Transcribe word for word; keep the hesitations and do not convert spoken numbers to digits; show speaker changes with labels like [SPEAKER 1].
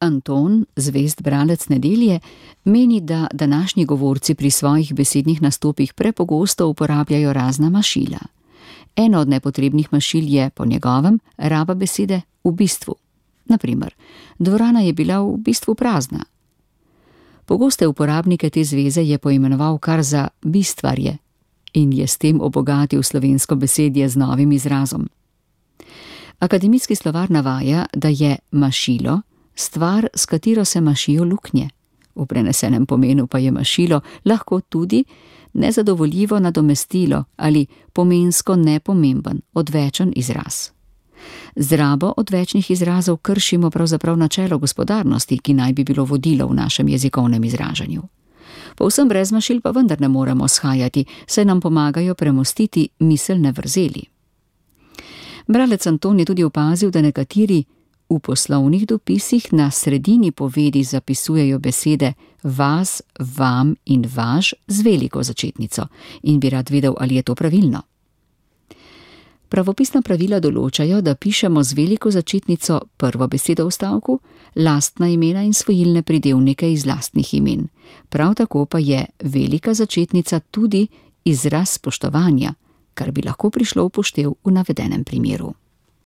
[SPEAKER 1] Anton, zvest bralec Nedelje, meni, da današnji govorci pri svojih besednih nastopih prepogosto uporabljajo razna mašila. Eno od nepotrebnih mašil je, po njegovem, raba besede v bistvu. Naprimer, dvorana je bila v bistvu prazna. Pogoste uporabnike te zveze je poimenoval kar za bistvarje in je s tem obogatil slovensko besedje z novim izrazom. Akademijski slovar navaja, da je mašilo stvar, s katero se mašijo luknje. V prenesenem pomenu pa je mašilo lahko tudi nezadovoljivo nadomestilo ali pomensko nepomemben, odvečen izraz. Z rabo odvečnih izrazov kršimo pravzaprav načelo gospodarnosti, ki naj bi bilo vodilo v našem jezikovnem izražanju. Povsem brez mašil pa vendar ne moremo shajati, saj nam pomagajo premostiti miselne vrzeli. Bralec Anton je tudi opazil, da nekateri v poslovnih dopisih na sredini povedi zapisujejo besede vas, vam in vaš z veliko začetnico in bi rad vedel, ali je to pravilno. Pravopisna pravila določajo, da pišemo z veliko začetnico prvo besedo v stavku, lastna imena in svojilne pridevnike iz lastnih imen. Prav tako pa je velika začetnica tudi izraz spoštovanja, kar bi lahko prišlo v poštev v navedenem primeru.